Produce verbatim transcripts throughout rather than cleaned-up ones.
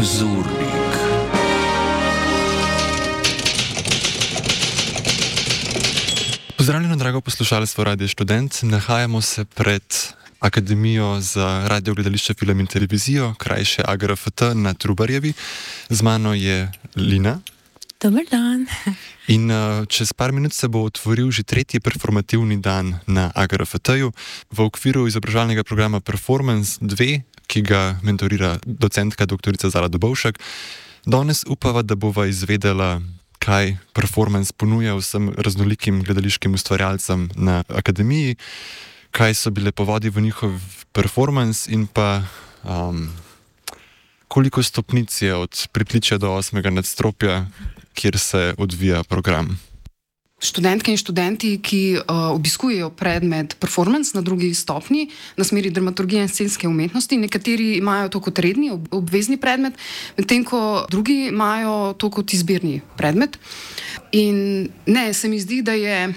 Zurlik. Pozdravljeno, drago poslušalstvo Radio Študent. Nahajamo se pred Akademijo za radio, gledališče, film in televizijo, krajše A G R F T na Trubarjevi. Z mano je Lina. Dober dan. In uh, čez par minut se bo otvoril že tretji performativni dan na A G R F T-ju v okviru izobraževalnega programa Performance dva, ki ga mentorira docentka doktorica Zala Dobovšek. Danes upava, da bova izvedela, kaj performance ponuja vsem raznolikim gledališkim ustvarjalcem na akademiji, kaj so bile povodi v njihov performance in pa um, koliko stopnic je od pritličja do osmega nadstropja, kjer se odvija program. Študentke in študenti, ki uh, obiskujejo predmet performance na drugi stopnji na smeri dramaturgije in scenske umetnosti, nekateri imajo to kot redni, ob, obvezni predmet, medtem ko drugi imajo to kot izbirni predmet. In ne, se mi zdi, da je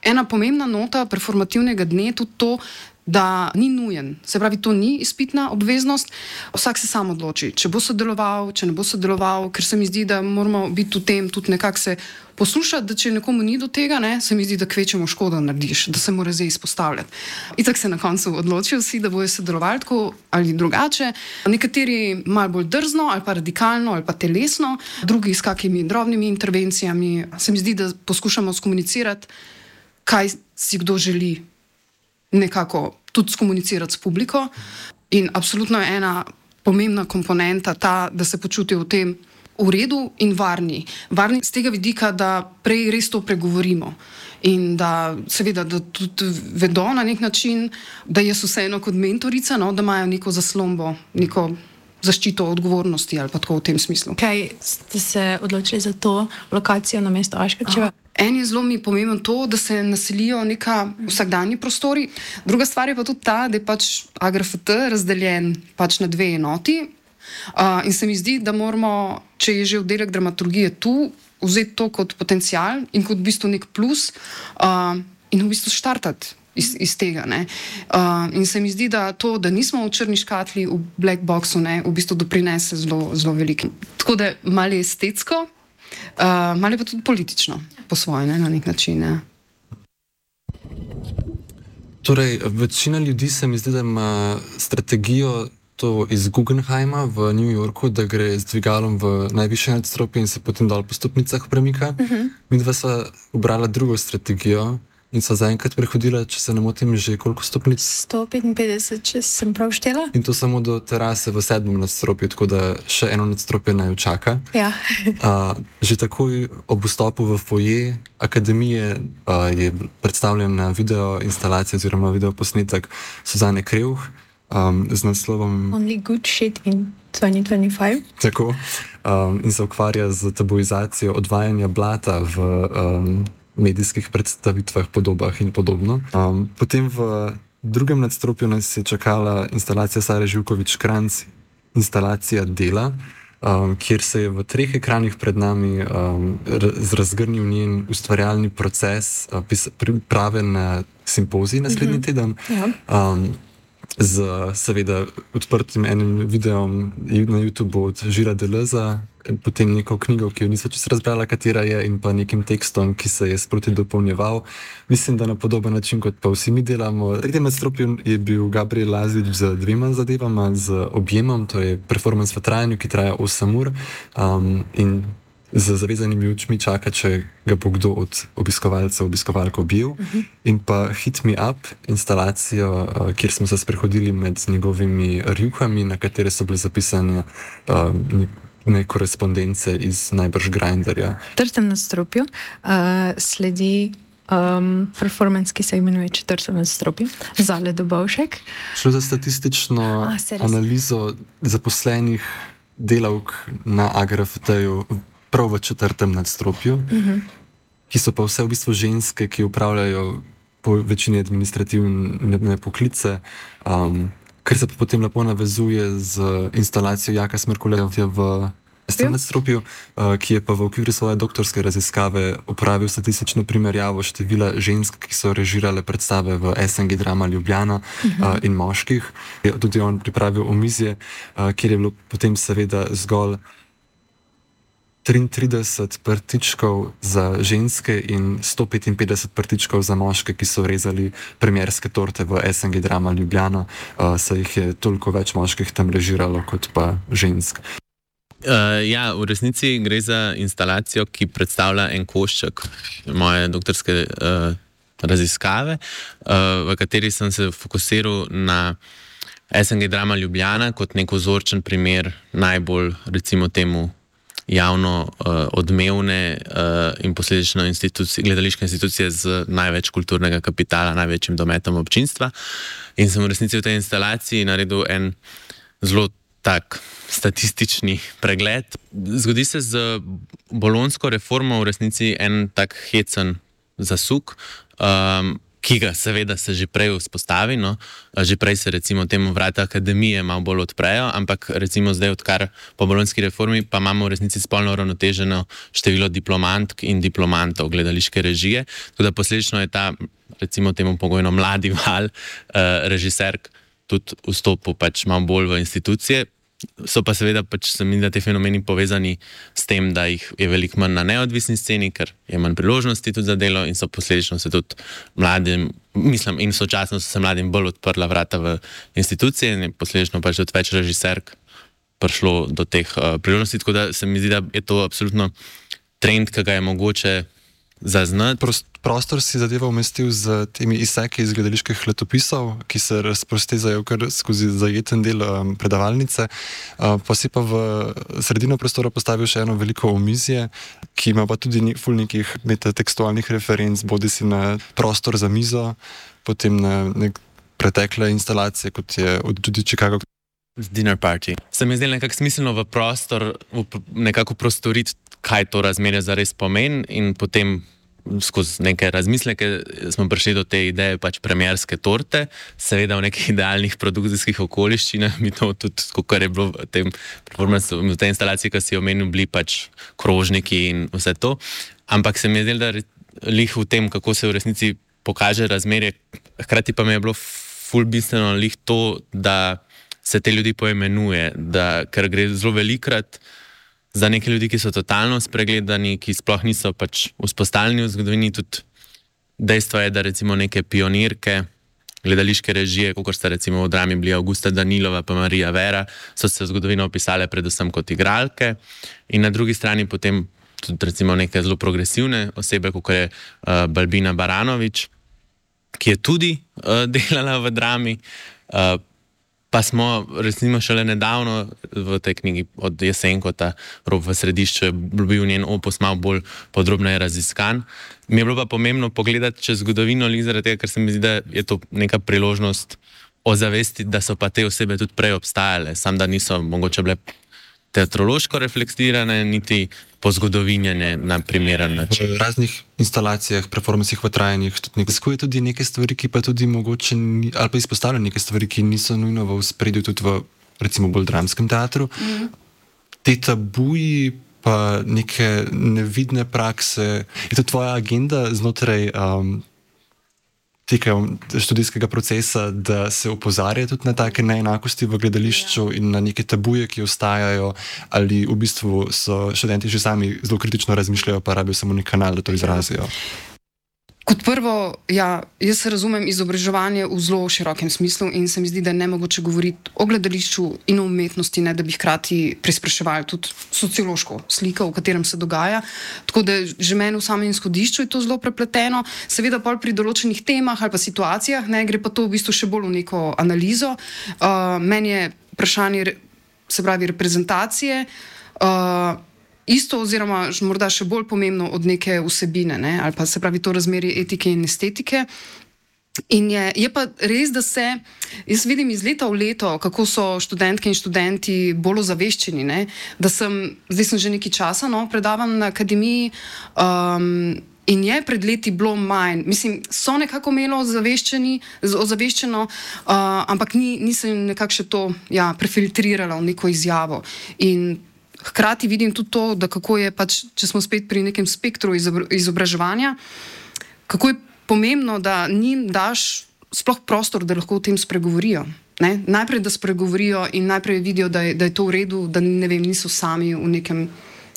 ena pomembna nota performativnega dne tudi to, da ni nujen. Se pravi, to ni izpitna obveznost, vsak se sam odloči, če bo sodeloval, če ne bo sodeloval, ker se mi zdi, da moramo biti v tem tudi nekako se poslušati, da če nekomu ni do tega, ne, se mi zdi, da kvečemo škodo narediš, da se mora zdaj izpostavljati. Itak se na koncu odločijo vsi, da bojo sodelovali tako ali drugače. Nekateri malo bolj drzno ali pa radikalno ali pa telesno, drugi s kakimi drobnimi intervencijami. Se mi zdi, da poskušamo skomunicirati, kaj si kdo želi nekako tudi skomunicirati s publiko. In absolutno je ena pomembna komponenta ta, da se počutijo v tem v redu in varni. Varni z tega vidika, da prej res to pregovorimo in da seveda, da tudi vedo na nek način, da jaz vseeno kot mentorica, no, da imajo neko zaslombo, neko zaščito odgovornosti ali pa tako v tem smislu. Kaj ste se odločili za to lokacijo na mesto Aškerčeva? En je zelo mi pomemben to, da se naselijo neka vsakdanji prostori. Druga stvar je pa tudi ta, da je pač A G R F T razdeljen pač na dve enoti. Uh, in se mi zdi, da moramo, če je že oddelek dramaturgije tu, vzeti to kot potencial in kot v bistvu nek plus uh, in v bistvu štartati iz, iz tega. Ne. Uh, in se mi zdi, da to, da nismo v črni škatli, v black boxu, ne, v bistvu doprinese zelo, zelo veliko. Tako da malo je estetsko, Uh, malo je pa tudi politično, po svoje, ne, na nek način. Ne. Torej, večina ljudi se mi zdi, da ima strategijo to iz Guggenheima v New Yorku, da gre z dvigalom v najvišje nadstropje in se potem dol po stopnicah premika. Uh-huh. Mi dva sva ubrala drugo strategijo in sva zaenkrat prehodila, če se ne motim, že koliko stopnic? sto petinpetdeset, če sem prav štela. In to samo do terase v sedmem nadstropju, tako da še eno nadstropje naj čaka. Ja. uh, že takoj ob vstopu v foje akademije uh, je predstavljena video instalacija oziroma video posnetek Suzane Kreuh um, z naslovom Only good shit in twenty twenty-five. Tako. Um, in se ukvarja z tabuizacijo odvajanja blata v um, medijskih predstavitvah, podobah in podobno. Um, potem v drugem nadstropju nas je čakala instalacija Sare Živković-Kranjc, instalacija Dela, um, kjer se je v treh ekranih pred nami um, razgrnil njen ustvarjalni proces, uh, priprave na simpozij naslednji uh-huh. teden. Ja. Um, z seveda odprtim enim videom na YouTubeu od Žira Deleuza, potem neko knjigo, ki jo nisem čisto razbrala, katera je, in pa nekim tekstom, ki se je sproti dopolnjeval. Mislim, da na podoben način, kot pa vsi mi delamo. V tem nadstropju je bil Gabriel Lazić z dvema zadevama, z objemom, to je performance v trajanju, ki traja osem ur um, in z zavezanimi očmi čaka, če ga bo kdo od obiskovalcev, obiskovalk objel. Uh-huh. In pa Hit Me Up, instalacijo, uh, kjer smo se sprehodili med njegovimi rjuhami, na katere so bile zapisane uh, ne korespondence iz najbrž Grindrja. V četrtem nadstropju uh, sledi um, performance, ki se imenuje Četrtem nadstropju, Zale Dobovšek. Šlo za statistično A, analizo zaposlenih delavk na A G R F T-ju prav v četrtem nadstropju, uh-huh. ki so pa vse v bistvu ženske, ki upravljajo po večini administrativne poklice, um, kar se pa potem lepo navezuje z instalacijo Jaka Smrkuljevja v S tem nadstropju, uh, ki je pa v okviru svoje doktorske raziskave uporabil statistično primerjavo števila žensk, ki so režirale predstave v S N G Drama Ljubljana uh, in moških. Je tudi on pripravil omizje, uh, kjer je bilo potem seveda zgolj triintrideset prtičkov za ženske in sto petinpetdeset prtičkov za moške, ki so rezali premierske torte v S N G Drama Ljubljana, uh, saj jih je toliko več moških tam režiralo kot pa žensk. Uh, ja, v resnici gre za instalacijo, ki predstavlja en košček moje doktorske uh, raziskave, uh, v kateri sem se fokusiral na S N G Drama Ljubljana kot nek vzorčen primer najbolj, recimo temu, javno uh, odmevne uh, in posledično institucije, gledališke institucije z največ kulturnega kapitala, največjim dometom občinstva. In sem v resnici v tej instalaciji naredil en zelo tak statistični pregled. Zgodi se z bolonjsko reformo v resnici en tak hecen zasuk, um, ki ga seveda se že prej vzpostavi, no? Že prej se recimo temu vrata akademije malo bolj odprejo, ampak recimo zdaj, odkar po bolonjski reformi, pa imamo v resnici spolno uravnoteženo število diplomantk in diplomantov gledališke režije, tako da posledično je ta, recimo temu pogojno mladi val uh, režiserk tudi vstopil pač malo bolj v institucije. So pa seveda pač se mi da te fenomeni povezani s tem, da jih je veliko manj na neodvisni sceni, ker je manj priložnosti tudi za delo in so posledično se tudi mladim, mislim, in sočasno so se mladim bolj odprla vrata v institucije in je posledično pač tudi več režiserk prišlo do teh uh, priložnosti, tako da se mi zdi, da je to absolutno trend, ki ga je mogoče zaznati. Prost, prostor si zadeva umestil z temi izseki iz gledaliških letopisov, ki se razprostezajo kar skozi zajeten del um, predavalnice, uh, pa si pa v sredino prostora postavil še eno veliko omizje, ki ima pa tudi ne, ful nekih metatekstualnih referenc, bodi si na prostor za mizo, potem na nek pretekle instalacije, kot je od tudi Chicago. Dinner party. Se mi je zdelo nekako smiselno v prostor, v nekako prostoriti, kaj to razmerje zares pomeni in potem skozi neke razmisleke smo prišli do te ideje pač premierske torte, seveda v nekih idealnih produkcijskih okoliščinah, mi to tudi, kot je bilo v tem performancu, v tej instalaciji, ki si omenil, bili pač krožniki in vse to, ampak se mi je zdelo, da lih v tem, kako se v resnici pokaže razmerje, hkrati pa mi je bilo ful bistveno lih to, da se te ljudi poimenuje, da, ker gre zelo velikrat za neke ljudi, ki so totalno spregledani, ki sploh niso pač vzpostavljeni v zgodovini. Tudi dejstvo je, da recimo neke pionirke gledališke režije, kot sta recimo v drami bili Augusta Danilova pa Marija Vera, so se v zgodovino opisale predvsem kot igralke in na drugi strani potem tudi recimo neke zelo progresivne osebe, kot je uh, Balbina Baranović, ki je tudi uh, delala v drami, uh, pa smo recimo šele nedavno v tej knjigi od Jesenkota, Rob v središču, je bil njen opus malo bolj podrobneje raziskan. Mi je bilo pa pomembno pogledati čez zgodovino, zaradi tega, ker se mi zdi, da je to neka priložnost ozavestiti, da so pa te osebe tudi prej obstajale, sam da niso mogoče bile teatrološko reflektirane, niti pozgodovinjene na primeren način. V raznih instalacijah, performancih v trajanjih tudi nekaj, tudi neke stvari, ki pa tudi mogoče, ali pa izpostavljajo neke stvari, ki niso nujno v spredju tudi v, recimo, bolj dramskem teatru. Mm. Te tabuji, pa neke nevidne prakse, je to tvoja agenda znotraj um, tega študijskega procesa, da se opozarja tudi na take neenakosti v gledališču in na neke tabuje, ki ostajajo, ali v bistvu so študenti že sami zelo kritično razmišljajo, pa rabijo samo nek kanal, da to izrazijo? Kot prvo, ja, jaz razumem izobraževanje v zelo širokem smislu in se mi zdi, da je nemogoče govoriti o gledališču in o umetnosti, ne da bi hkrati prespraševali tudi sociološko sliko, v katerem se dogaja. Tako da že meni v samem izhodišču je to zelo prepleteno, seveda pa pri določenih temah ali pa situacijah, ne, gre pa to v bistvu še bolj v neko analizo. Uh, meni je vprašanje, se pravi, reprezentacije, uh, isto oziroma morda še bolj pomembno od neke vsebine, ne? Ali pa se pravi to razmerje etike in estetike. In je, je pa res, da se, jaz vidim iz leta v leto, kako so študentke in študenti bolj ozaveščeni, ne? Da sem, zdaj sem že nekaj časa, no, predavam na akademiji, um, in je pred leti bilo manj, mislim, so nekako imelo ozaveščeni, ozaveščeno, uh, ampak ni, nisem nekako še to, ja, prefiltrirala v neko izjavo. In hkrati vidim tudi to, da kako je pač, če smo spet pri nekem spektru izobraževanja, kako je pomembno, da njim daš sploh prostor, da lahko o tem spregovorijo. Ne? Najprej, da spregovorijo in najprej vidijo, da je, da je to v redu, da ne vem, niso sami v nekem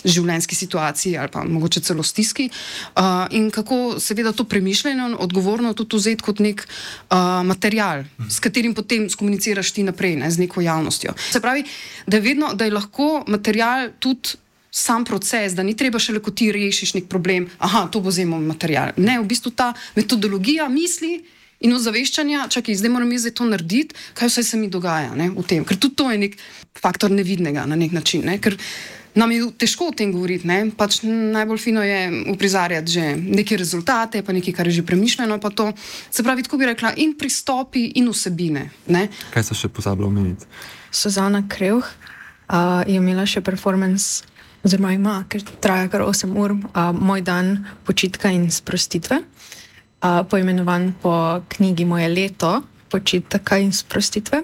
življenjski situaciji ali pa mogoče celo stiski. Uh, in kako seveda to premišljeno, odgovorno tudi vzeti kot nek uh, material, s katerim potem skomuniciraš ti naprej, ne, z neko javnostjo. Se pravi, da je vedno, da je lahko material tudi sam proces, da ni treba šele, ko ti rešiš nek problem, aha, to bo zemo material. Ne, v bistvu ta metodologija misli in ozaveščanja, čakaj, zdaj moram jaz to narediti, kaj vse se mi dogaja, ne, v tem. Ker tudi to je nek faktor nevidnega na nek način, ne, ker nam je težko o tem govoriti, ne? Pač najbolj fino je uprizarjati že neke rezultate, pa nekaj, kar je že premišljeno, pa to. Se pravi, tako bi rekla, in pristopi, in vsebine. Ne? Kaj se še pozabila omeniti? Suzana Krevh uh, je imela še performance, oziroma ima, ker traja kar osem ur, uh, Moj dan počitka in sprostitve, uh, poimenovan po knjigi Moje leto počitka in sprostitve.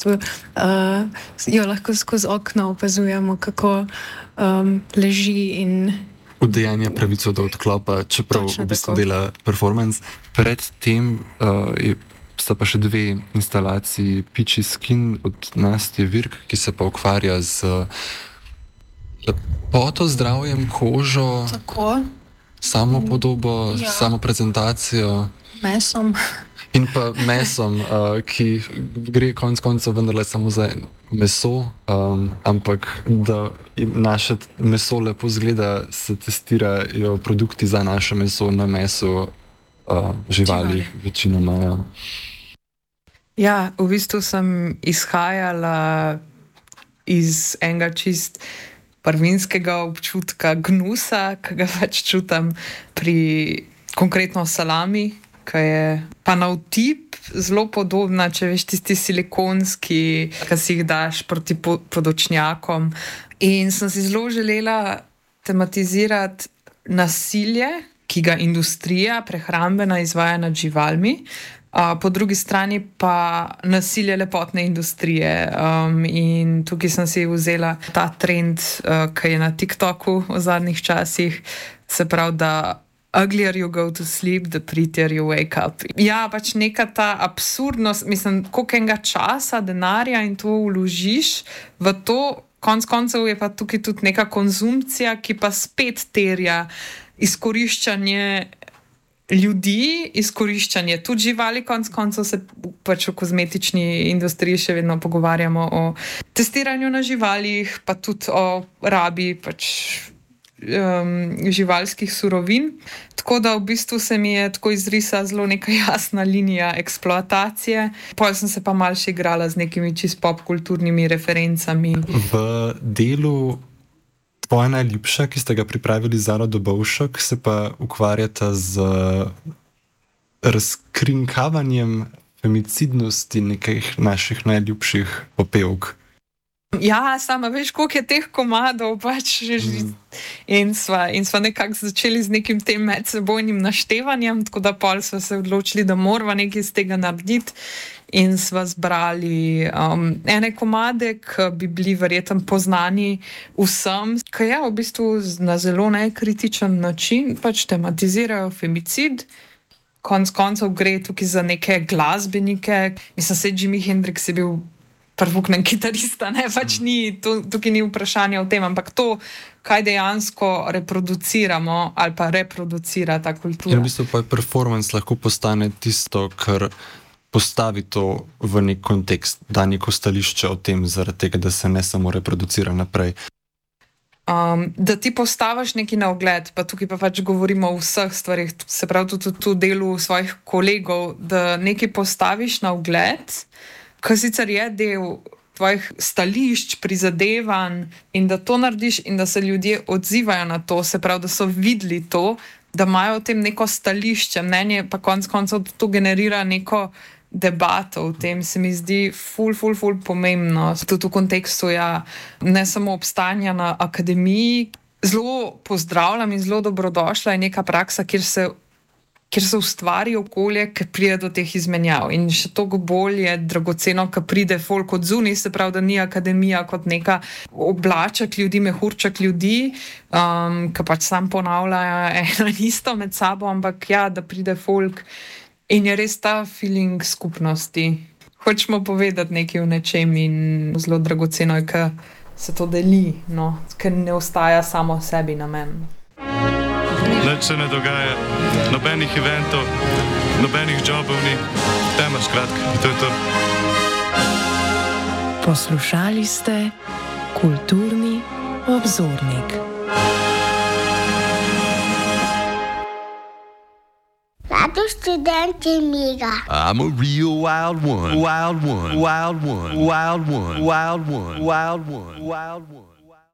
Uh, jo lahko skozi okno opazujemo, kako um, leži in udejanja pravico do odklopa, čeprav Točno v bistvu tako. dela performance. Predtem uh, je, sta pa še dve instalaciji Peachy Skin od Nastje Virk, ki se pa ukvarja z lepoto, zdravjem, kožo, tako samopodobo, Ja. samoprezentacijo. mesom. In pa mesom, uh, ki gre konec koncev vendarle samo za meso, um, ampak da naše meso lepo zgleda, se testirajo produkti za naše meso na meso uh, živali, Živali. večinoma. Ja. Ja, v bistvu sem izhajala iz enega čist prvinskega občutka gnusa, ki ga pač čutim pri konkretno salami, ki je pa na vtip zelo podobna, če veš, tisti silikonski, ki si jih daš proti po- podočnjakom. In sem si zelo želela tematizirati nasilje, ki ga industrija prehrambena izvaja nad živalmi, a po drugi strani pa nasilje lepotne industrije. Um, in tukaj sem si vzela ta trend, uh, ki je na TikToku v zadnjih časih, se pravi, da uglier you go to sleep, the prettier you wake up. Ja, pač neka ta absurdnost, mislim, koliko enega časa, denarja in to vložiš v to, konc koncev je pa tukaj tudi neka konzumpcija, ki pa spet terja izkoriščanje ljudi, izkoriščanje tudi živali, konc koncev se pač v kozmetični industriji še vedno pogovarjamo o testiranju na živalih, pa tudi o rabi pač Um, živalskih surovin. Tako da v bistvu se mi je tako izrisala zelo neka jasna linija eksploatacije. Potem sem se pa malo še igrala z nekimi čist popkulturnimi referencami. V delu Tvoja najljubša, ki ste ga pripravili za Zaro Dobovšek, se pa ukvarjata z razkrinkavanjem femicidnosti nekih naših najljubših popevk. Ja, sama veš, koliko je teh komadov pač že mm. in sva, in sva nekako začeli z nekim tem medsebojnim naštevanjem, tako da pol sva se odločili, da morava nekaj iz tega narediti in sva zbrali um, ene komade, ki bi bili verjetno poznani vsem, ki je v bistvu na zelo nekritičen način pač tematizirajo femicid. Konec koncev gre tukaj za neke glasbenike. Mislim, se Jimi Hendrix je bil prvoknen kitarista, ne, pač ni, to, tukaj ni vprašanje o tem, ampak to, kaj dejansko reproduciramo ali pa reproducira ta kultura. In v bistvu pa je performance lahko postane tisto, kar postavi to v nek kontekst, da neko stališče o tem, zaradi tega, da se ne samo reproducira naprej. Um, da ti postaviš neki na ogled, pa tukaj pa pač govorimo o vseh stvarih, se pravi tudi o delu svojih kolegov, da nekaj postaviš na ogled, ki sicer je del tvojih stališč, prizadevanj in da to narediš in da se ljudje odzivajo na to, se pravi, da so videli to, da imajo o tem neko stališče, mnenje, pa konec koncev to generira neko debato. V tem se mi zdi ful, ful, ful pomembno. Tudi v kontekstu ja, ne samo obstajanja na akademiji. Zelo pozdravljam in zelo dobrodošla je neka praksa, kjer se kjer se ustvari okolje, ki pride do teh izmenjav. In še toliko bolj je dragoceno, ko pride folk od zunaj, se pravi, da ni akademija kot neka oblaček ljudi, mehurček ljudi, um, ki pač sam ponavljajo eno in isto med sabo, ampak ja, da pride folk in je res ta feeling skupnosti. Hočemo povedati nekaj o nečem in zelo dragoceno je, ko se to deli, no, ker ne ostaja samo sebi namen. Nič se ne dogaja, nobenih eventov, nobenih jobov ni, tema skratka, to je to. Poslušali ste Kulturni obzornik. Radio Študentje Mira. I'm a real wild one, wild one, wild one, wild one, wild one, wild one, wild one.